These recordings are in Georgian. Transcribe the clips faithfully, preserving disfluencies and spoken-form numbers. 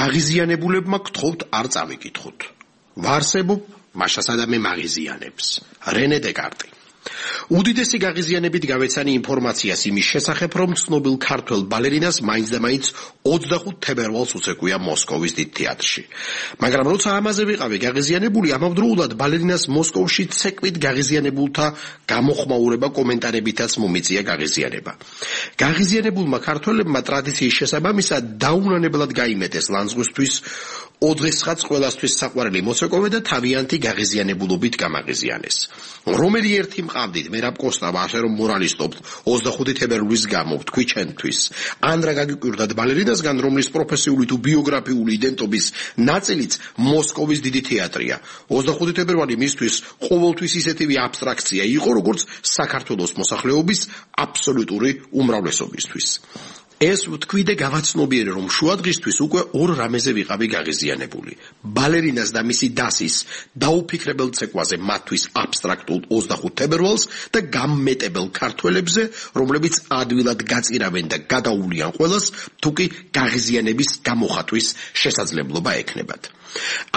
გაღიზიანებულებმა გთხოვთ არ წავიკითხოთ. ვარსებობ მაშასა და მე მაღიზიანებს. რენე დეკარტი. უდიდესი გაღიზიანებით გავეცანი ინფორმაციას იმის შესახებ, რომ ცნობილ ქართველ ბალერინას მაინც და მაინც ოცდახუთ თებერვალს უცეკვია მოსკოვის დიდ თეატრში. მაგრამ როცა ამაზე ვიყავი გაღიზიანებული, ამავდროულად ბალერინას მოსკოვში ცეკვით გაღიზიანებულთა გამოხმაურება კომენტარებითაც მომიწია გაღიზიანება. გაღიზიანებულმა ქართველებმა ტრადიციის შესაბამისად დაუნანებლად გაიმეტეს ლანძღვისთვის ოდესღაც ყველასთვის საყვარელი მოცეკვავე და თავიანთი გაღიზიანებულობით გამაღიზიანეს. რომელი ერთი მყავდით მერაბ კოსტავა, ასე რომ მორალისტობთ ოცდახუთი თებერვლის გამო თქვი ჩვენთვის. ან რა გაგიკვირდათ ბალერინასგან, რომლის პროფესიული თუ ბიოგრაფიული იდენტობის ნაწილიც მოსკოვის დიდი თეატრია. ოცდახუთი თებერვალი მისთვის ყოველთვის ისეთივე აბსტრაქცია იყო, როგორც საქართველოს მოსახლეობის აბსოლუტური უმრავლესობისთვის. ეს ვთქვი და გავაცნობიერე, რომ შუადღისთვის უკვე ორ რამეზე ვიყავი გაღიზიანებული. ბალერინას და მისი დასის დაუფიქრებელ ცეკვაზე მათთვის აბსტრაქტულ ოცდახუთ თებერვალს და გამმეტებელ ქართველებზე, რომლებიც ადვილად გაწირავენ და გადაუვლიან ყველას, თუკი გაღიზიანების გამოხატვის შესაძლებლობა ექნებათ.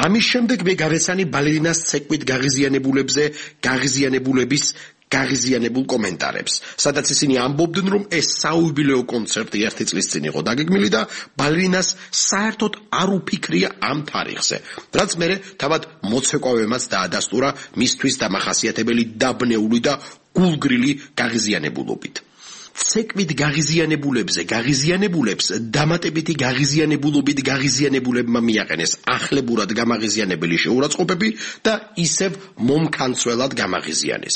ამის შემდეგ მე გავეცანი ბალერინას ცეკვით გაღიზიანებულებზე გაღიზიანებულების გაღიზიანებულ კომენტარებს, სადაც ისინი ამბობდნენ, რომ ეს საიუბილეო კონცერტი ერთი წლის წინ იყო დაგეგმილი და ბალერინას საერთოდ არ უფიქრია ამ თარიღზე, რაც მერე თავად მოცეკვავემაც დაადასტურა მისთვის დამახასიათებელი დაბნეული და გულგრილი გაღიზიანებულობით. ცეკვით გაღიზიანებულებზე გაღიზიანებულებს დამატებითი გაღიზიანებულობით გაღიზიანებულებმა მიაყენეს ახლებურად გამაღიზიანებელი შეურაცხყოფები და ისევ მომქანცველად გამაღიზიანეს.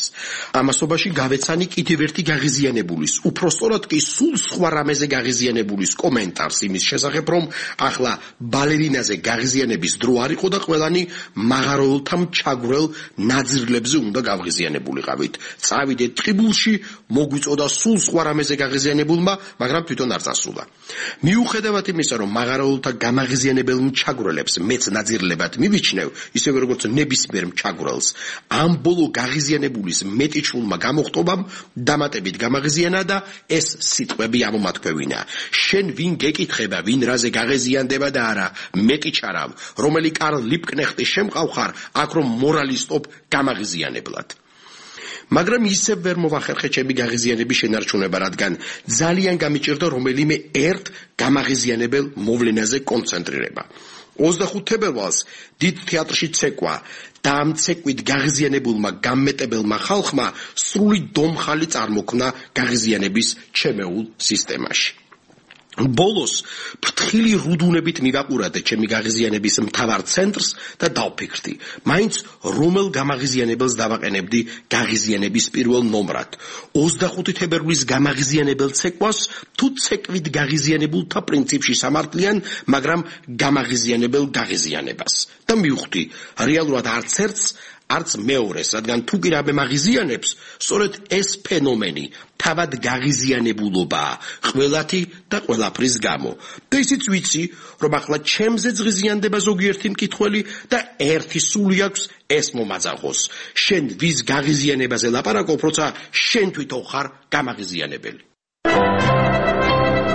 ამასობაში გავეცანი კიდევ ერთი გაღიზიანებულის, უფრო სწორად კი სულ სხვა რამეზე გაღიზიანებულის კომენტარს იმის შესახებ, რომ ახლა ბალერინაზე გაღიზიანების დრო არ იყო და ყველანი მაღაროელთა ჩაგვრელ ნაძრლებზე უნდა გავღიზიანებულიყავით. წავიდეთ ტყიბულში, მოგვიწოდა სულ სხვა რამეზე გაღიზიანებულმა, მაგრამ თვითონ არ წასულა. მიუხედავად იმისა, რომ მაღაროელთა გამაღიზიანებელ მჩაგვრელებს მეც ნაძირლებად მივიჩნევ, ისევე როგორც ნებისმიერ მჩაგვრელს, ამ ბოლო გაღიზიანებულის მეტიჩულმა გამოხტობამ დამატებით გამაღიზიანა და ეს სიტყვები ამომათქვევინა. შენ ვინ გეკითხება, ვინ რაზე გაღიზიანდება და არა, მეტიჩარავ, რომელი კარლ ლიპკნეხტის შემყავ ხარ, აქ რომ მორალისტობ გამაღიზიანებლად. მაგრამ ისევ ვერ მოვახერხე ჩემი გაღიზიანების შენარჩუნება, რადგან ძალიან გამიჭირდა რომელიმე ერთ გამაღიზიანებელ მოვლენაზე კონცენტრირება. ოცდახუთ თებერვალს დიდ თეატრში ცეკვა და ამ ცეკვით გაღიზიანებულმა გამმეტებელმა ხალხმა სრული დომხალი წარმოქმნა გაღიზიანების ჩემეულ სისტემაში. ბოლოს ფრთხილი რუდუნებით მივაყურადე ჩემი გაღიზიანების მთავარ ცენტრს და დავფიქრდი, მაინც რომელ გამაღიზიანებელს დავაყენებდი გაღიზიანების პირველ ნომრად. ოცდახუთი თებერვლის გამაღიზიანებელ ცეკვას თუ ცეკვით გაღიზიანებულთა პრინციპში სამართლიან, მაგრამ გამაღიზიანებელ გაღიზიანებას. და მივხვდი, რეალურად არც ერთს არც მეორეს, რადგან თუ კი რამე მაღიზიანებს, სწორედ ეს ფენომენი თავად გაღიზიანებულობაა, ყველათი და ყველაფრის გამო. და ისიც ვიცი, რომ ახლა ჩემზეც ღიზიანდება ზოგიერთი მკითხველი და ერთი სული აქვს ეს მომაძახოს. შენ ვის გაღიზიანებაზე ლაპარაკობ, როცა შენ თვითონ ხარ გამაღიზიანებელი.